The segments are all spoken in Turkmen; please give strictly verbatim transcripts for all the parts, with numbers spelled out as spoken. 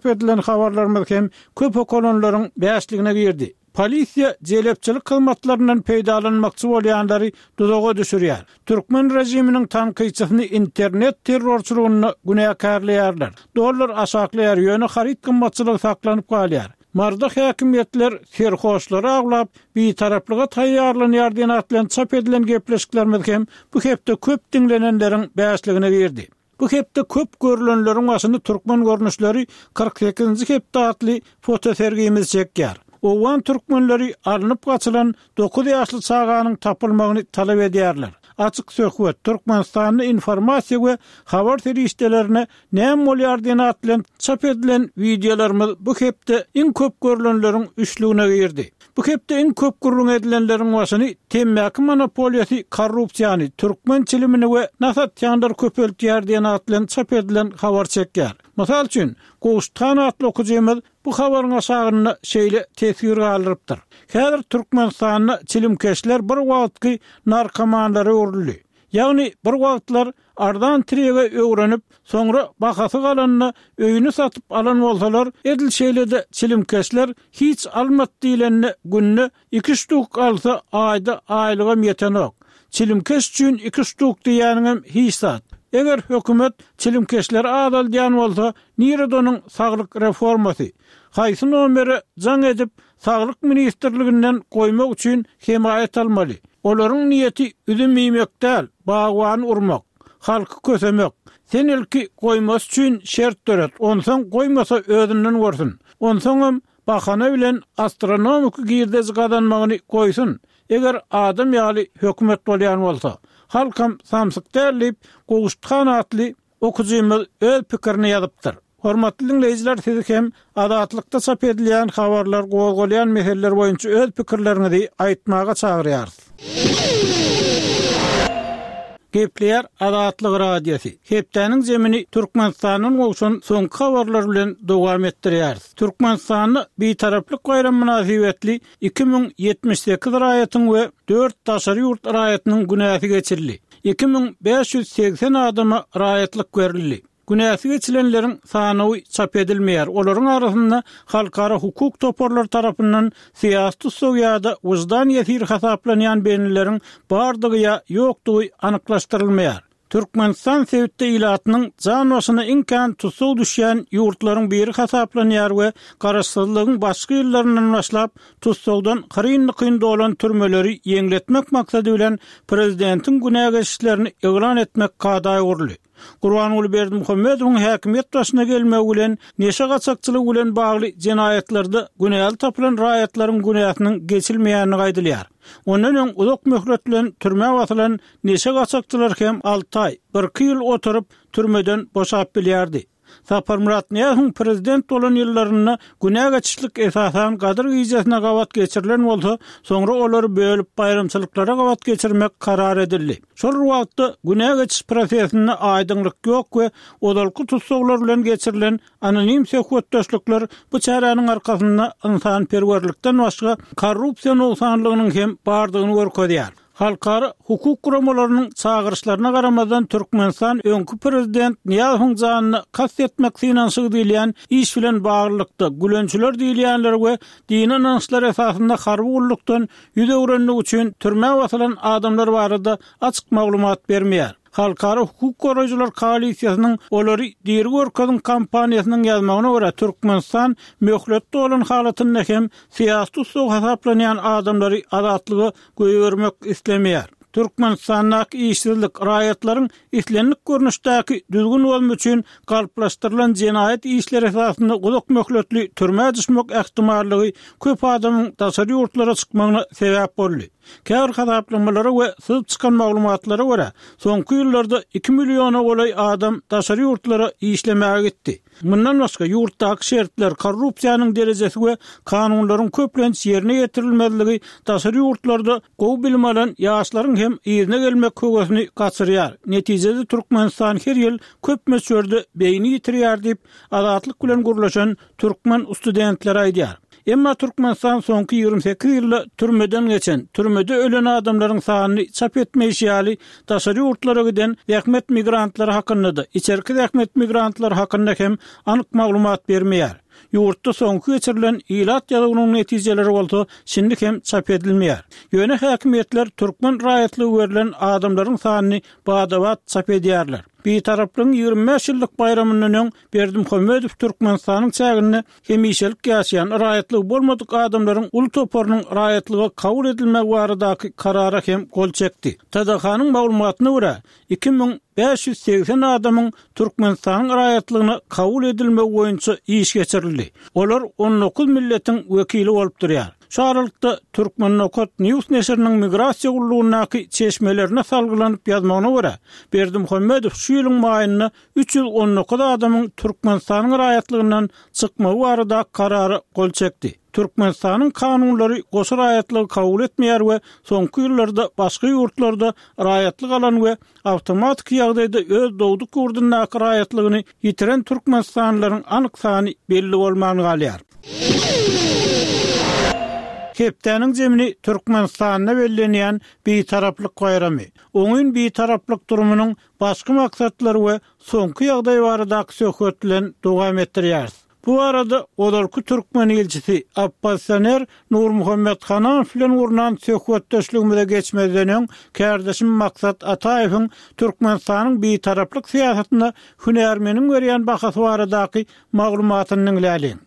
edilen habarlarymyz hem köp okalanlaryň bäşligine girdi. Polisiýa jelepçilik hyzmatlaryndan peýdalanmakçy bolýanlary duzaga düşürýär. Türkmen režiminiň tankytçysyny internet terrorçylygynda günäkärleýärler. Dollar aşaklaýar, ýöne haryt gymmatçylygy saklanyp galýar. Maryda häkimiýetler serhoşlary awlap, bitaraplyga taýýarlanýar diýen at bilen çap edilen gepleşiklerimiz hem bu hepde köp diňlenenleriň bäşligine girdi. Bu hepde köp görülenleriň başyny Türkmen görnüşleri kyrk sekizinji hepde atly fotosergimiz çekýär. Owgan türkmenleri alnyp gaçylan dokuz ýaşly çaganyň tapylmagyny talap edýärler. Açyk söhbet Türkmenistanda informasiýa we habar serişdelerine näme bolýar diýen at bilen çap edilen wideolarymyz bu hepde iň köp görülenleriň üçlügine girdi. Bu hepde iň köp gürrüň edilenleriň başyny temmäki monopoliýasy korrupsiýany, türkmen çilimini we nas atýanlary köpeltýär diýen at bilen çap edilen habar çekýär. Mysal üçin, Gowşuthan atly okyjymyz bu habaryň aşagynda şeýle teswir galdyrypdyr. Häzir Türkmenistanda çilimkeşler bir wagtky narkomanlara öwrüldi. Ýagny bir wagtlar arzan tirege öwrenip, soňra bahasy galanda öýüni satyp alan bolsalar, edil şeýle-de çilimkeşler hiç almat diýlende günde iki ştuk alsa aýda aýlygam ýetenok. Çilimkeş üçin iki ştuk diýýäniňem hiç zat. Eger hökümet çilimkeşleri azaldýan bolsa, nirede onuň saglyk reformasy? Haýsy nomere jaň edip, saglyk ministrliginden goýmak üçin hemaýat almaly? Olaryň niýeti üzüm iýmek däl, bagwany urmak, halky kösemek. Sen ilki goýmasy üçin şert döret, onsoň goýmasa özünden görsün. Onsoňam bahana bilen astronomik girdeji gazanmagyny goýsun. Eger adam ýaly hökümet bolýan bolsa, halkam samsyk däl diýip, Gowşuthan atly okyjymyz öz pikirini ýazypdyr. Hormatly dinleýjiler, sizi hem Azatlykda çap edilýän habarlar, gozgalýan meseleler boýunça öz pikirleriňizi aýtmaga çagyrýarys. Gepleýär Azatlyk Radiosy. Hepdäniň zemini Türkmenistandan gowşan soňky habarlar bilen dowam etdirýäris. Türkmenistanda bitaraplyk baýram mynasybetli iki müň ýetmiş sekiz raýatyň we dört daşary ýurt raýatynyň günäsi geçirildi. Iki müň bäş ýüz segsen adama raýatlyk berildi. Günäsi geçilenleriň sanawy çap edilmeýär. Olaryň arasynda halkara hukuk toparlary tarapyndan syýasy tussag ýa-da wyždan ýesiri hasaplanýan benileriň bardygy ýa ýokdugy anyklaşdyrylmaýar. Türkmenistan sebitde ilatynyň jan başyna iň kän tussag düşýän ýurtlaryň biri hasaplanýar we garaşsyzlygyň başky ýyllaryndan başlap tussagdan hyryn-dykyn dolan türmeleri ýeňletmek maksady bilen prezidentiň günä geçişlerini yglan etmek kada öwrüldi. Gurbanguly Berdimuhamedowyň häkimiýet başyna gelmegi bilen neşe gaçakçylygy bilen bagly jenaýatlarda günäli tapylan raýatlaryň günäsiniň geçilmeýändigi aýdylýar. Ondan öň uzak möhlet bilen türmä basylan neşe gaçakçylar hem alty aý, bir iki ýyl oturyp türmeden boşap bilýärdi. Saparmyrat Nyýazowyň prezident bolan ýyllarynda günä geçişlik esasan Gadyr gijesine gabat geçirilen bolsa, soňra olary bölüp baýramçylyklara gabat geçirmek karar edildi. Şol wagtda günä geçiş prosesinde aýdyňlyk ýok we ozalky tussaglar bilen geçirilen anonim söhbetdeşlikler bu çäräniň arkasynda ynsanperwerlikden başga korrupsiýa nogsanlygynyň hem bardygyny görkezýär. Halkara hukuk guramalarynyň çagyryşlaryna garamazdan Türkmenistan öňki prezident Nyýazowyň janyna kast etmek synanyşygy diýilýän iş bilen baglylykda gülençiler diýilýänler we dini ynançlar esasynda harby gullukdan ýüz öwrenmek üçin türmä basylan adamlar barada açyk maglumat bermeýär. Halkara hukuk goraýjylar koalisiýasynyň olary diri görkeziň kampaniýasynyň ýazmagyna görä Türkmenistan möhletde bolan halatynda hem syýasy tussag hasaplanýan adamlary azatlyga goýbermek islemeýär. Türkmenistandaky işsizlik raýatlaryň islendik görnüşdäki düzgün bozma üçin galplaşdyrylan jenaýat işleri esasynda uzak möhletli türmä düşmek ähtimallygy köp adamyň daşary ýurtlara çykmagyna sebäp boldy. Käbir hasaplamalara we syzyp çykan maglumatlara görä, soňky ýyllarda iki milliona golaý adam daşary ýurtlara işlemäge gitdi. Mundan başga ýurtdaky şertler, korrupsiýanyň derejesi we kanunlaryň köplenç ýerine ýetirilmezligi daşary ýurtlarda gowy bilim alan ýaşlaryň hem yzyna gelmek höwesini gaçyrýar. Netijede Türkmenistan her ýyl köp möçberde beýni ýitirýär diýip, Azatlyk bilen gürleşen türkmen studentleri aýdýar. Emma Türkmenistan soňky ýigrimi sekiz ýylda türmeden geçen, türmede ölen adamlaryň sanyny çap etmeýşi ýaly, daşary ýurtlara giden zähmet migrantlary hakynda-da, içerki zähmet migrantlary hakynda hem anyk maglumat bermeýär. Ýurtda soňky geçirilen ilat ýazuwynyň netijeleri bolsa şindi hem çap edilmeýär. Ýöne häkimiýetler türkmen raýatlygy berlen adamlaryň sanyny bada-bat çap edýärler. Bitaraplygyň ýigrimi bäş ýyllyk baýramyndan öň Berdimuhamedow Türkmenistanyň çäginde hemişelik ýaşaýan raýatlygy bolmadyk adamlaryň uly toparynyň raýatlyga kabul edilmegi baradaky karara hem gol çekdi. T D H-nyň maglumatyna görä, iki müň bäş ýüz segsen adamyň Türkmenistanyň raýatlygyna kabul edilmegi boýunça iş geçirildi. Olar on dokuz milletiň wekili bolup durýar. Şu aralykda Türkmen Nokat News neşiriniň migrasiýa gullugyndaky çeşmelerine salgylanyp ýazmagyna görä, Berdimuhamedow şu ýylyň maýynda üç ýüz on dokuz adamyň Türkmenistanyň raýatlygyndan çykmagy barada karara gol çekdi. Türkmenistanyň kanunlary goşa raýatlygy kabul etmeýär we soňky ýyllarda başga ýurtlarda raýatlyk alan we awtomatiki ýagdaýda öz dogduk ýurdundaky raýatlygyny ýitiren türkmenistanlylaryň anyk sany belli bolman galýar. Hepdäniň zemini Türkmenistanda bellenýän Bitaraplyk baýramy. Oňyn bitaraplyk durumynyň başky maksatlary we soňky ýagdaý baradaky söhbet bilen dowam etdirýäris. Bu arada ozalky türkmen ilçisi oppozisioner Nurmuhammet Hananow bilen gurnan söhbetdeşligimize geçmezden öň kärdeşim Maksat Ataýewiň Türkmenistanyň bitaraplyk syýasatyna hünärmeniň berýän bahasy baradaky maglumatyny diňläliň.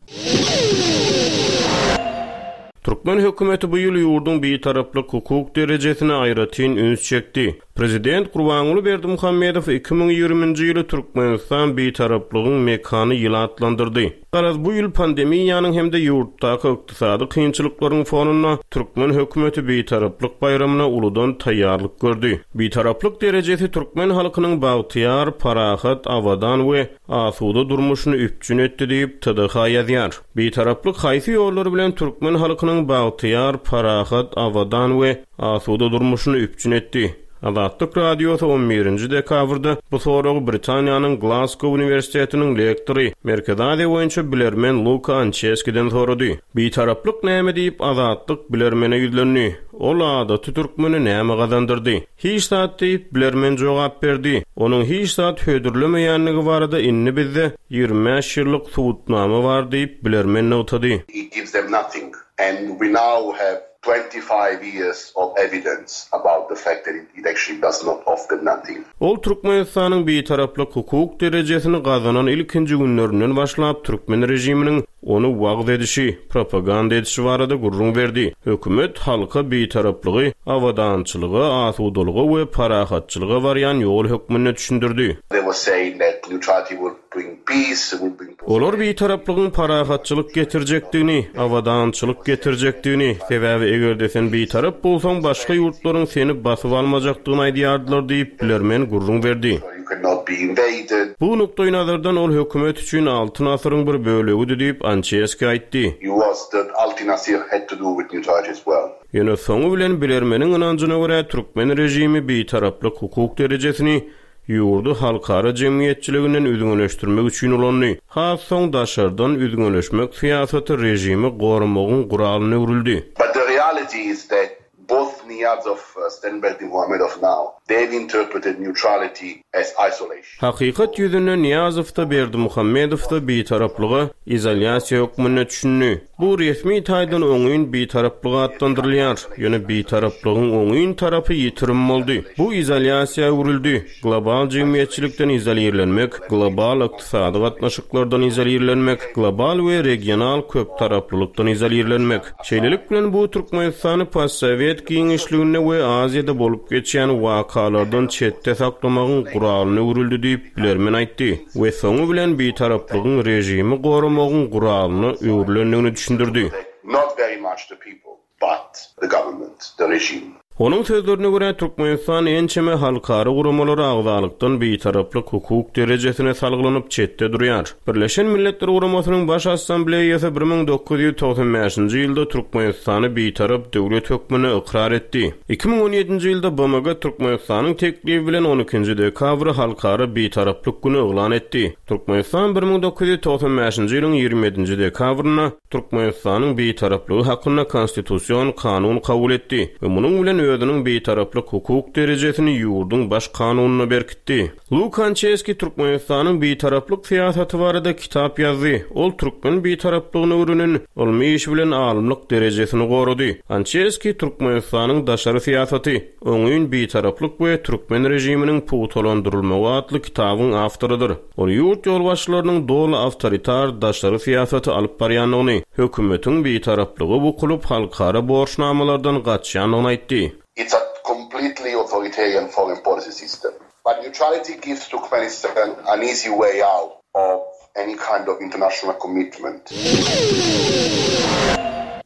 Türkmen hökümeti bu ýyl ýurduň bitaraplyk hukuk derejesine aýratyn üns çekdi. Prezident Gurbanguly Berdimuhamedow iki müň ýigriminji ýyly Türkmenistan bitaraplygyň mekany ýyly atlandyrdy. Garaz bu ýyl pandemiýanyň hem-de ýurtdaky ykdysady kynçylyklaryň fonunda türkmen hökümeti bitaraplyk baýramyna uludan taýýarlyk gördi. Bitaraplyk derejesi türkmen halkynyň bagtyýar, parahat, abadan we asuda durmuşyny üpjün etdi diýip T D H ýazýar. Bitaraplyk haýsy ýollar bilen türkmen halkynyň bagtyýar, parahat, abadan we asuda durmuşyny üpjün etdi? Azatlyk Radiosy on birinji dekabrda bu soragy Britaniýanyň Glasgow Uniwersitetiniň lektory, Merkezi Aziýa boýunça bilermen Luka Ançeskiden sorady. Bitaraplyk näme diýip Azatlyk bilermene ýüzlendi. Ol adaty türkmeni näme gazandyrdy? Hiç zat diýip bilermen jogap berdi. Onuň hiç zat hödürlemeýänligi barada indi bizde ýigrimi bäş ýyllyk subutnama bar diýip bilermen nygtady. It gives them nothing and we now have twenty-five years of evidence about the fact that it, it actually does not offer nothing. Ol Türkmenistanyň bitaraplyk hukuk derejesini gazanan ilkinji günlerinden başlap türkmen rejiminiň ony wagyz edişi, propaganda edişi barada gürrüň berdi. Hökümet halka bitaraplygy, abadançylyga, asudalyga we parahatçylyga barýan ýol hökmünde düşündirdi. They were saying that neutrality will bring peace, will bring Olar bitaraplygyň parahatçylyk getirjekdigini, abadançylyk getirjekdigini, sebäbi eger-de sen bitarap bolsaň başga ýurtlaryň seni basyp almajakdygyny aýdýardylar diýip bilermen gürrüň berdi. You cannot be invaded. Bu nukdaý nazardan ol hökümet üçin Altyn asyryň bir bölegidi diýip Ançeski aýtdy. It was that Altyn Asyr had to do with neutrality as well. Ýöne soňy bilen bilermeniň ynanjyna görä türkmen rejimi bitaraplyk hukuk derejesini ýurdy halkara jemgyýetçiliginden üzňeleşdirmek üçin ulandy. Has soň daşardan üzňeleşmek syýasaty rejimi goramagyň guralyna öwrüldi. But the reality is that both Niyazov and Berdimuhamedov now, they've interpreted neutrality as isolation. Hakykat ýüzünde Niýazow da Berdimuhamedow da bitaraplyga izolýasiýa hökmünde düşündi. Bu resmi taýdan oňyn bitaraplyk atlandyrylýar. Ýöne bitaraplygyň oňyn tarapy ýitirim boldy. Bu izolýasiýa öwrüldi. Global jemgyýetçilikden izolirlenmek, global ykdysady gatnaşyklardan izolirlenmek, global we regional köp taraplylykdan izolirlenmek. Şeýlelik bilen bu Türkmenistany postsovet giňişliginde we Aziýada bolup geçýän wakalardan çetde saklamagyň guralyna öwrüldi diýip bilermen aýtdy we soňy bilen bitaraplygyň rejimi goramagyň guralyna öwrülendigini düşündirdi. Not very much the people, but the government, the regime. Onuň sözlerine görä, Türkmenistan ençeme halkara guramalara agzalykdan bitaraplyk hukuk derejesine salgylanyp çetde durýar. Birleşen Milletler Guramasynyň Baş Assambleýasy bir müň dokuz ýüz togsan bäşinji ýylda Türkmenistany bitarap döwlet hökmünde ykrar etdi. Iki müň on ýedinji ýylda B M G Türkmenistanyň teklibi bilen on ikinji dekabry halkara bitaraplyk güni yglan etdi. Türkmenistan bir müň dokuz ýüz togsan bäşinji ýylyň ýigrimi ýedinji dekabrynda Türkmenistanyň bitaraplygy hakynda konstitusion kanun kabul etdi we munuň bilen özüniň bitaraplyk hukuk derejesini ýurduň baş kanunyna berkitdi. Luka Ançeski Türkmenistanyň bitaraplyk syýasaty barada kitap ýazdy. Ol türkmen bitaraplygyny öwrenen ylmy iş bilen alymlyk derejesini gorady. Ançeski Türkmenistanyň daşary syýasaty, oňyn bitaraplyk we türkmen režiminiň pugtalandyrylmagy atly kitabyň awtorydyr. Ol ýurt ýolbaşçylarynyň doly awtoritar daşary syýasaty alyp barýandygyny, hökümetiň bitaraplygy bukulyp halkara borçnamalardan gaçýandygyny aýtdy. It's a completely authoritarian foreign policy system. But neutrality gives Turkmenistan an easy way out of any kind of international commitment.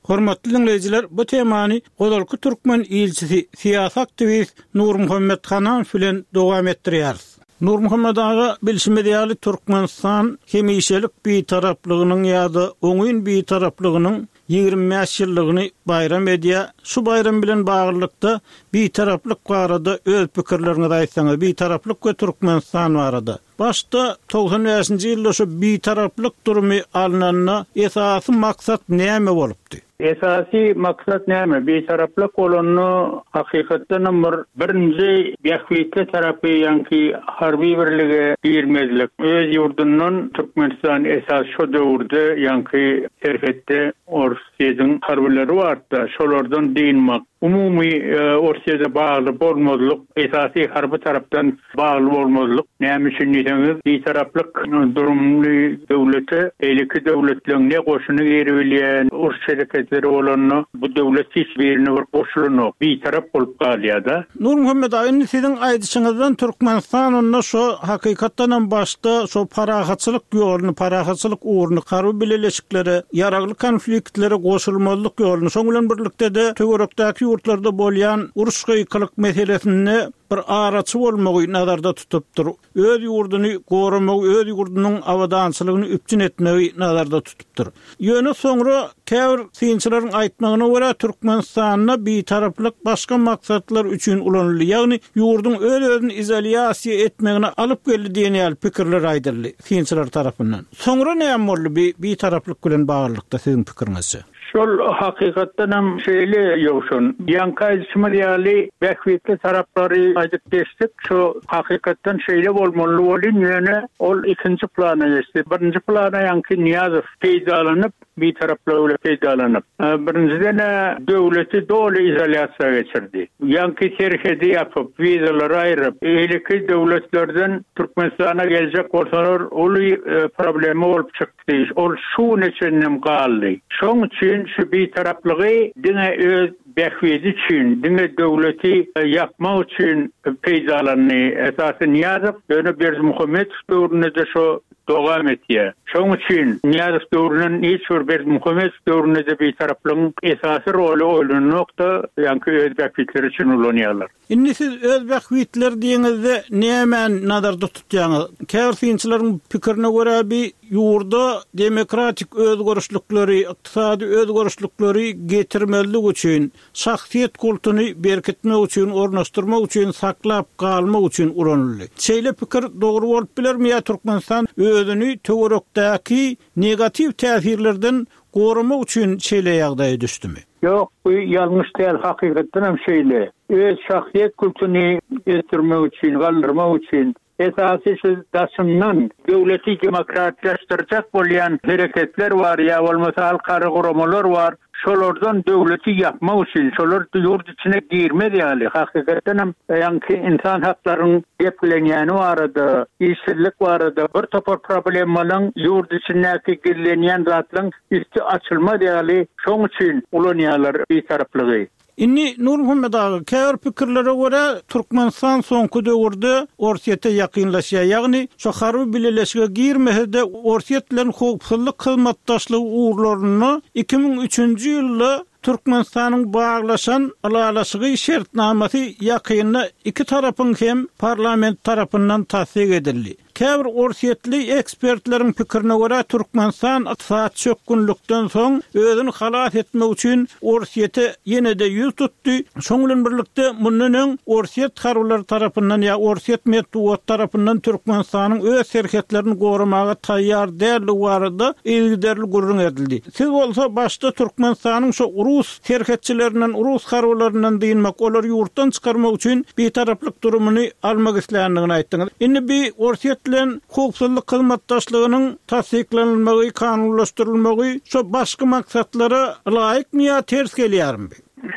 Hormatly dinleýjiler, bu temany Godalky Türkmen ilçisi, syýasy aktiwist Nurmuhammet Hananow bilen dowam etdirýäris. Nurmuhammet aga, bilşimiz ýaly Türkmenistan hemişelik bitaraplygynyň ýa-da oňyn bitaraplygynyň ýigrimi bäş ýyllygyny baýram edýär. Şu baýram bilen baglylykda bitaraplyk barada öz pikirleriňizi aýtsaňyz, bitaraplyk we Türkmenistan barada. Başda togsan bäşinji ýylda şu bitaraplyk durumy alnanda esasy maksat näme bolupdy? Esasy maksat näme? Bitaraplyk bolanda hakykatdan bir birinji bähbitli tarapy ýaňky harby birlige girmezlik. Öz ýurdundan Türkmenistan esas şu döwürde ýaňky serhetde Orsýetiň harbylary bardy, şolardan dynmak. Umumy, e, Orsýete bagly bolmazlyk, esasy harby tarapdan bagly bolmazlyk. Näme üçin diýseňiz, bitaraplyk durumly döwlete beýleki döwletleň ne goşuny girebilýän, uruş hereketleri bolanda bu döwlet hiç birine bir goşulanok, bitarap bolup galýar-da. Nurmuhammet aga, indi siziň aýdyşyňyzdan Türkmenistan onda şu hakykatdan hem başda şu parahatçylyk ýoluny, parahatçylyk ugruny, harby bileleşiklere, ýaragly konfliktlere goşulmazlyk ýoluny, şoň bilen birlikde-de töwerekdäki ýurtlarda bolýan uruş gykylyk meselesinde bir araçy bolmagy nazarda tutupdyr. Öz ýurduny goramagy, öz ýurdunyň abadançylygyny üpjün etmegi nazarda tutupdyr. Ýöne soňra käbir synçylaryň aýtmagyna görä Türkmenistanda bitaraplyk başga maksatlar üçin ulanyldy. Ýagny ýurduň öz-özüni izolýasiýa etmegine alyp geldi diýen ýaly pikirler aýdyldy synçylar tarapyndan. Soňra näme boldy bi bitaraplyk bilen baglylykda siziň pikiriňizçe? Şol hakykatdan hem şeýle ýowşan. Ýaňky aýdyşymyz ýaly bähbitli taraplary aýdyp geçdik. Şu hakykatdan şeýle bolmaly bolyn, ýöne ol ikinji plana geçdi. Birinji plana ýaňky Niýazow peýdalanyp, bitaraplygy bilen peýdalanyp, e, birinjiden döwleti doly izolýasiýa geçirdi. Ýaňky serhedi ýapyp, wizalary aýryp, beýleki döwletlerden Türkmenistana geljek bolsalar uly, e, problemi bolup çykdy. Ol şu neçenem galdy. Şoň üçin şu bitaraplygy diňe öz bähbidi üçin, diňe döwleti, e, ýapmak üçin peýdalandy. Esasy Niýazow ýöne Berdimuhamedow döwründe de şu dowam etýär. Şoň üçin Niýazow döwründen hiç bir Berdimuhamedow döwründe de bitaraplygyň esasy roly oýlanokda, ýaňky öz bähbitleri üçin ulanýarlar. Indi siz öz bähbitler diýeňizde näme nazarda tutýaňyz? Käbir synçylaryň pikirine görä bi ýurda demokratik özgerişlikleri, ykdysady özgerişlikleri getirmezlik üçin, şahsyýet kultuny berkitmek üçin, ornaşdyrmak üçin, saklap galmak üçin ulanyldy. Şeýle pikir dogry bolup bilermi ýa Türkmenistan özüni töwerekdäki negatiw täsirlerden goramak üçin şeýle ýagdaýa düşdümi? Ýok, bu ýalňyş däl, hakykatdan hem şeýle. Öz şahsyýet kultuny ösdürmek üçin, galdyrmak üçin esasy şu daşyndan döwleti demokratlaşdyrjak bolýan hereketler bar ýa bolmasa halkara guramalar bar. Şolardan döwleti ýapmak üçin, şolar ýurt içine girmez ýaly, hakykatdan hem ýaňky insan haklarynyň geplenýäni barada, işsizlik barada bir topar problemalaryň ýurt içindäki gizlenýän zatlaryň üstü açylmaz ýaly, şoň üçin ulanýarlar bitaraplygy. Inni Nurmuhammet aga, käbir pikirlere görä Türkmenistan soňky döwürde Orsýete ýakynlaşýar. Ýagny şu harby bileleşige girmese-de Orsýet bilen howpsuzlyk hyzmatdaşlygy ugurlarynda iki müň üçünji ýylda Türkmenistanyň baglaşan ylalaşygy şertnamasy ýakynda iki tarapyň hem parlament tarapyndan tassyk edildi. Käbir orsýetli ekspertleriň pikirine görä, Türkmenistan ykdysady çökgünlikden soň özüni halas etmek üçin Orsýete ýene-de ýüz tutdy. Şoň bilen birlikde mundan öň Orsýet harbylary tarapyndan ýa Orsýet metbugaty tarapyndan Türkmenistanyň öz serhetlerini goramaga taýýar däldigi barada yzygiderli gürrüň edildi. Siz bolsa başda Türkmenistanyň şo rus serhetçilerinden, rus harbylaryndan dynmak, olary ýurtdan çykarmak üçin bitaraplyk durumyny almak isländigini aýtdyňyz. Indi bi Orsýet bilen howpsuzlyk hyzmatdaşlygynyň tassyklanylmagy, kanunlaşdyrylmagy şo başky maksatlara laýykmy ýa ters gelýärmi bi?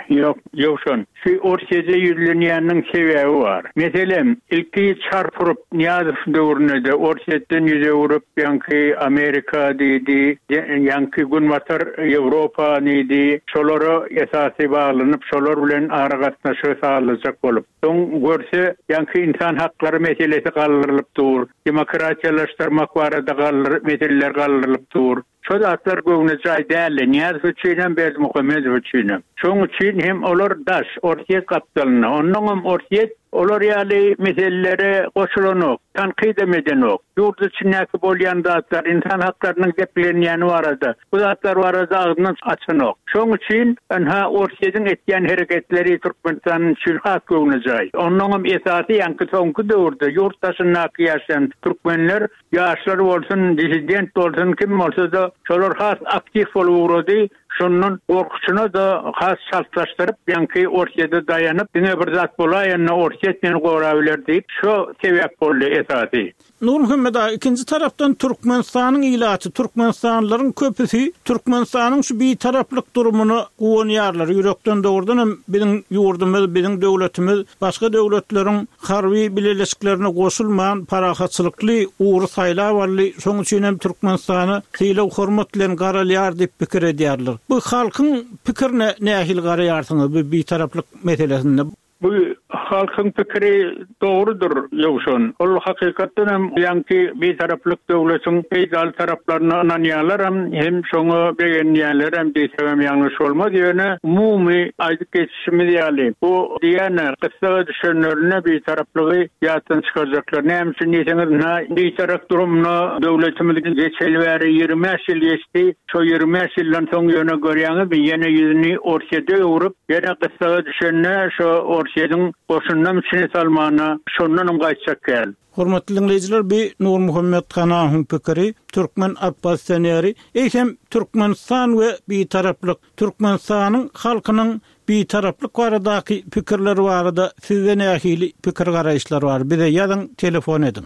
Ýok, Ýowşan, şu Orsýete ýüzlenýäniniň sebäbi bar. Meselem, ilki çarp urup Nyýazow döwründe-de Orsýetden ýüz öwrüp, ýaňky Amerika diýdi, ýaňky Günbatar Ýewropa diýdi, şolara esasy baglanyp, şolar bilen aragatnaşygy sazlajak bolup. Soň görse, ýaňky ynsan haklary meselesi galdyrylyp dur, demokratiýalaşdyrmak barada galdyr meseleler galdyrylyp dur. Şo zatlar göwnejaý däldi, Nyýazow üçinem, Berdimuhamedow üçinem. Şoň üçin hem olar daş, Orsýet gapdalynda. Onnoňam Orsýet olar ýaly meselelere goşulanok, tankydam edenok. Ýurt içindäki bolýan zatlar, ynsan haklarynyň deplenýäni barada, bu zatlar barada agzyndan açanok. Şoň üçin ynha Orsýetiň etýän hereketleri Türkmenistan üçin has göwnejaý. Onnoňam esasy ýaňky soňky döwürde ýurt daşyndaky ýaşaýan türkmenler, ýaşlar bolsun, dissident bolsun, kim bolsa-da, şolar has aktiw bolup ugrady. Şondan gorkusyna-da has çaltlaşdyryp, ýaňky Orsýete daýanyp, diňe bir zat bolaýanda Orsýet meni gorabiler diýip, şo sebäp boldy esasy. Nurmuhammet aga, ikinji tarapdan Türkmenistanyň ilaty, türkmenistanlylaryň köpüsi Türkmenistanyň şu bitaraplyk durumyna guwanýarlar. Ýürekden dogrudan hem biziň ýurdumyz, biziň döwletimiz başga döwletleriň harby bileleşiklerine goşulman parahatçylykly ugry saýlap aldy. Şoň üçin hem Türkmenistana sylag-hormat bilen garalýar diýip pikir edýärler. Bu halkyň pikirine nähili garaýarsyňyz bu bitaraplyk meselesinde? Bu halkyň pikiri dogrudyr, Ýowşan. Ol hakykatdan hem ýaňky bitaraplyk döwletiň peýdaly taraplaryna ynanýarlaram, hem şoňa begenýärlerem diýsegem ýalňyş bolmaz. Ýöne umumy aýdyp geçişimiz ýaly, bu diýýän gyssaga düşenlerine bitaraplygy ýatdan çykarjaklar. Näme üçin diýseňiz, ynha bitarap durumyna döwletimiz geçeli bäri ýigrimi bäş ýyl geçdi. Şo ýigrimi bäş ýyldan soň ýöne görýäňizmi, ýene ýüzüni Orsýete öwrüp, ýene gyssaga düşende şo Orsýetiň goşundan içine salmana şondanam gaýtjak gel. Hormatly dinleýjiler, bi Nurmuhammet Hanahyň pikiri, türkmen oppozisioneri, eýsem Türkmenistan we bitaraplyk, Türkmenistanyň halkynyň bitaraplyk baradaky pikirleri barada sizde nähili pikir garaýyşlar bar? Bize ýazyň, telefon ediň.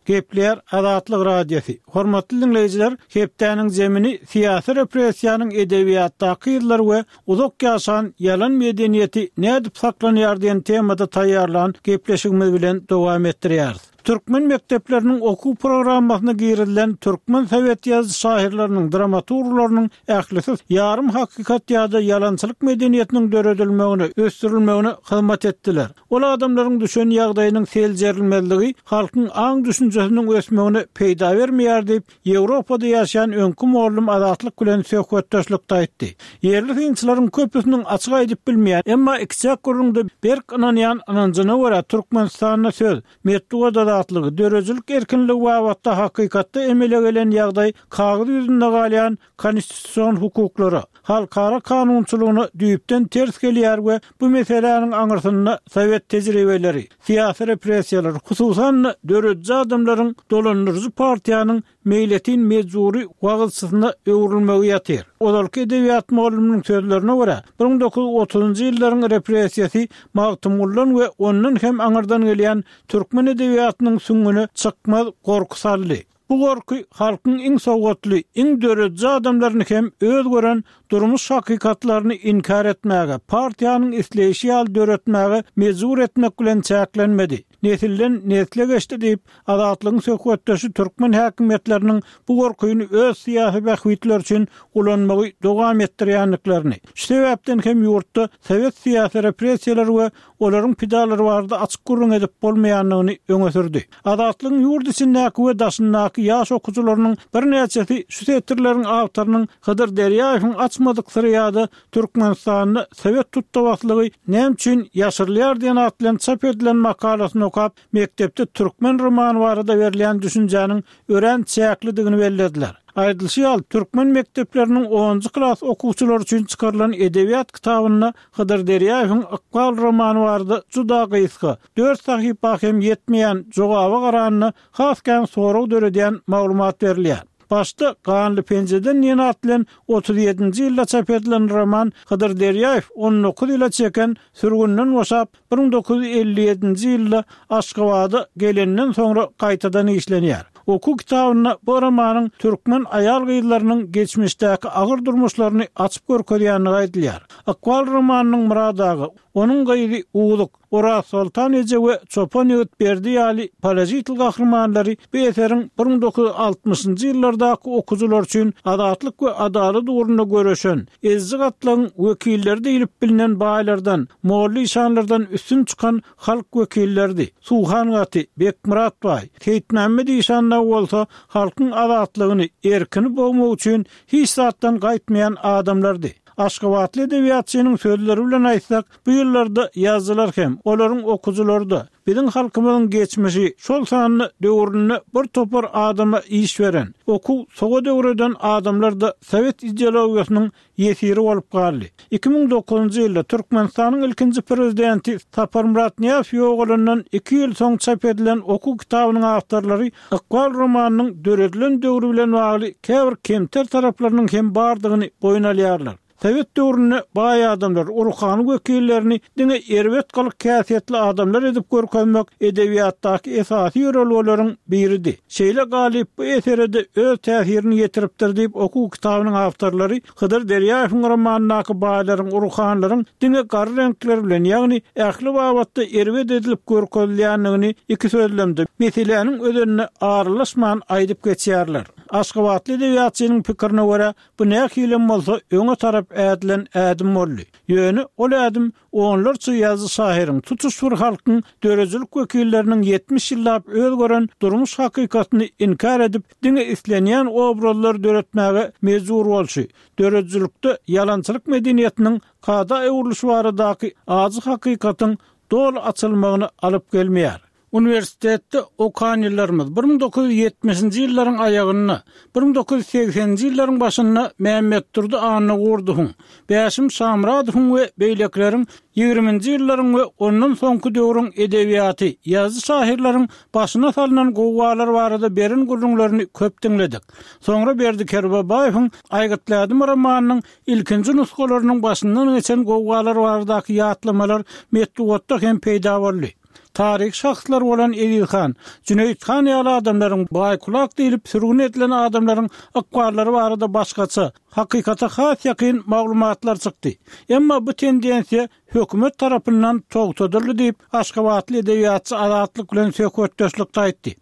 Gepleýär Azatlyk Radiosy. Hormatly dinleýjiler, hepdäniň zemini syýasy repressiýanyň edebiýatdaky ýyllar we uzak ýaşan ýalan medeniýeti nädip saklanýar diýen temada taýýarlan gepleşigimiz bilen dowam etdirýäris. Türkmen mekdepleriniň okuw programmasyna girizilen türkmen sowet ýazyjy şahyrlarynyň, dramaturglarynyň ählisi ýarym hakykat ýa-da ýalançylyk medeniýetiniň döredilmegine, ösdürilmegine hyzmat etdiler. Ol adamlaryň düşen ýagdaýynyň seljerilmezligi halkyň aň düşünjesiniň ösmegine peýda bermeýär diýip, Ýewropada ýaşaýan öňki mugallym Azatlyk bilen söhbetdeşlikde aýtdy. Ýerli synçylaryň köpüsiniň açyk aýdyp bilmeýän, emma ikiçäk gürrüňde berk ynanýan ynanjyna görä Türkmenistanda söz, metbugat azatlygy, döredijilik erkinligi babatda hakykatda emele gelen ýagdaý kagyz ýüzünde galýan konstitusion hukuklara, halkara kanunçylygyna düýpden ters gelýär we bu meseläniň aňyrsynda sowet tejribeleri, syýasy repressiýalar, hususan-da dörediji adamlaryň dolandyryjy partiýanyň meýletin mejbury wagyzçysyna öwrülmegi ýatyr. Ozalky edebiýat mugallymynyň sözlerine görä, bir müň dokuz ýüz otuzynjy ýyllaryň repressiýasy Magtymgulydan we ondan hem aňyrdan gelýän türkmen edebiýatynyň süňňüne çykmaz gorky saldy. Bu gorky halkyň iň sowatly, iň dörediji adamlaryny hem öz gören durmuş hakykatlaryny inkär etmäge, partiýanyň isleýşi ýaly döretmäge mejbur etmek bilen çäklenmedi. nesilden nesle geçdi diýip, Azatlygyň söhbetdeşi türkmen häkimiýetleriniň bu gorkyny öz syýasy bähbitleri üçin ulanmagy dowam etdirýändiklerini, şu sebäpden hem ýurtda sowet syýasy repressiýalary we olaryň pidalary barada açyk gürrüň edip bolmaýandygyny öňe sürdi. Azatlygyň ýurt içindäki we daşyndaky ýaş okyjylarynyň birnäçesi şu setirleriň awtorynyň Hydyr Derýaýewiň açmadyk syry ýa-da Türkmenistanda sowet tutdabaslygy näme üçin ýaşyrylýar diýen at bilen çap edilen makalasyny okap, mekdepde türkmen romany barada berilýän düşünjäniň örän çäklidigini bellediler. Aýdylyşy ýaly, türkmen mekdepleriniň onunjy klas okuwçylary üçin çykarylan edebiýat kitabynda Hydyr Derýaýewiň Ykbal romany barada juda gysga, dört sahypa hem ýetmeýän jogaba garanda has kän sorag döredýän maglumat berilýär. Başda Ganly penjeden diýen at bilen otuz ýedinji ýylda çap edilen roman Hydyr Derýaýew on dokuz ýyla çeken sürgünden boşap, bir müň dokuz ýüz elli ýedinji ýylda Aşgabada gelenden soňra gaýtadan işlenýär. Okuw kitabynda bu romanyň türkmen aýal-gyzlarynyň geçmişdäki agyr durmuşlaryny açyp görkezýändigi aýdylýar. Ykbal romanynyň Murad aga, onuň gyzy Uzuk, Oraz Soltan eje we Çopan ýigit Berdi ýaly položitel gahrymanlary bu eseriň bir müň dokuz ýüz altmyşynjy ýyllardaky okyjylar üçin azatlyk we adalat ugrunda göreşen, eziji gatlagyň wekilleri diýlip bilinen baýlardan, molla işanlardan üstün çykan halk wekilleridi. Suhan gaty, Bekmyrat baý, Seýitmämmet işan dagy bolsa halkyň azatlygyny, erkini bogmak üçin hiç zatdan gaýtmaýan adamlardy. Aşgabatly edebiýatçynyň sözleri bilen aýtsak, bu ýyllarda ýazyjylar hem, olaryň okyjylary-da biziň halkymyzyň geçmişi, şol sanda döwründe bir topar adama iş beren, okuw sowat öwreden adamlar-da sowet ideologiýasynyň ýesiri bolup galdy. Iki müň dokuzynjy ýylda Türkmenistanyň ilkinji prezidenti Saparmyrat Nyýazow ýogalandan iki ýyl soň çap edilen okuw kitabynyň awtorlary Ykbal romanynyň döredilen döwri bilen bagly käbir kemter taraplarynyň hem bardygyny boýun alýarlar. Sowet döwründe baý adamlar, ruhany wekillerini diňe erbet gylyk häsiýetli adamlar edip görkezmek edebiýatdaky esasy ýörelgeleriň biridi. Şeýle galyp bu esere-de öz täsirini ýetiripdir diýip okuw kitabynyň awtorlary Hydyr Derýaýewiň romanyndaky baýlaryň, ruhanylaryň diňe gara reňkler bilen, ýagny ähli babatda erbet edilip görkezilýändigini iki sözlemde, meseläniň özenine aralaşman aýdyp geçýärler. Aşgabatly edebiýatçynyň pikirine görä, bu nähilem bolsa öňe tarap ädilen ädim boldy. Ýöne ol ädim onlarça ýazyjy şahyryň, tutuş bir halkyň döredijilik wekilleriniň ýetmiş ýyllap öz gören durmuş hakykatyny inkär edip, diňe islenýän obrazlary döretmäge mejbur bolşy, döredijilikde ýalançylyk medeniýetiniň kada öwrülişi baradaky ajy hakykatyň doly açylmagyny alyp gelmeýär. Uniwersitetde okan ýyllarymyz bir müň dokuz ýüz ýetmişinji ýyllaryň aýagynda, bir müň dokuz ýüz segseninji ýyllaryň başynda Mämmetdurdy Annagurdowyň, Bäşim Şamyradowyň we beýlekileriň ýigriminji ýyllaryň we ondan soňky döwrüň edebiýaty, ýazyjy-şahyrlaryň başyna salnan gowgalar barada beren gürrüňlerini köp diňledik. Soňra Berdi Kerbabaýewiň Aýgytly ädim romanynyň ilkinji nusgalarynyň başyndan geçen gowgalar baradaky ýatlamalar metbugatda hem peýda boldy. Taryhy şahslar bolan Eziz han, Jüneýit han ýaly adamlaryň baý-kulak diýlip sürgün edilen adamlaryň ykballary barada başgaça, hakykata has ýakyn maglumatlar çykdy. Emma bu tendensiýa hökümet tarapyndan togtadyldy diýip, aşgabatly edebiýatçy Azatlyk bilen söhbetdeşlikde aýtdy.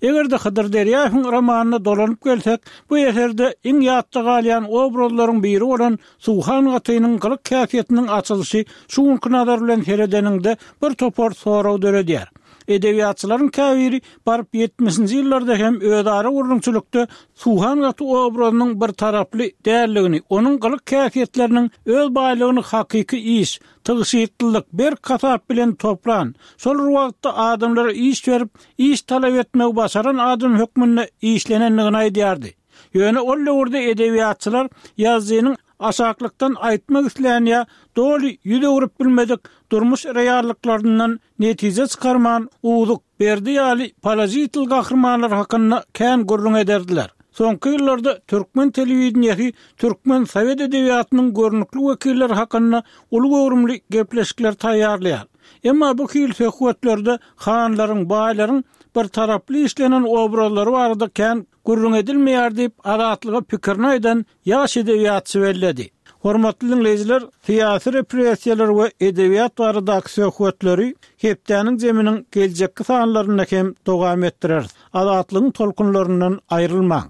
Eger-de Hydyr Derýaýewiň romanyna dolanyp gelsek, bu eserde iň ýatda galýan obrazlaryň biri bolan Suhan gatynyň gylyk häsiýetiniň açylyşy şu günki nazar bilen seredeniňde bir topar sorag döredýär. Edebiýatçylaryň käbiri baryp ýetmişinji ýyllarda hem özara gürrüňçilikde Suhan gaty obrazynyň bir taraply däldigini, onuň gylyk häsiýetleriniň öz baýlygyny hakyky iş, tygşytlylyk, berk hasap bilen toplan, şol bir wagtda adamlara iş berip, iş talap etmegi başaran adam hökmünde işlenendigini aýdýardy. Ýöne ol döwürde edebiýatçylar ýazyjynyň aşaklykdan aýtmak islän ýa doly ýüz öwrüp bilmedik durmuş reallyklaryndan netije çykarman, Uzuk, Berdi ýaly položitel gahrymanlar hakynda kän gürrüň ederdiler. Soňky ýyllarda türkmen telewideniýesi türkmen sowet edebiýatynyň görnükli wekilleri hakynda uly göwrümli gepleşikler taýýarlaýar. Emma bu hili söhbetlerde hanlaryň, baýlaryň bir taraply işlenen obrazlary barada kän gürrüň edilmeýär diýip, Azatlyga pikirini aýdan ýaş edebiýatçy belledi. Hormatly diňleýjiler, syýasy repressiýalar we edebiýat baradaky söhbetleri hepdäniň zeminiň geljekki sanlarynda hem dowam etdireris. Azatlygyň tolkunlaryndan aýrylmaň.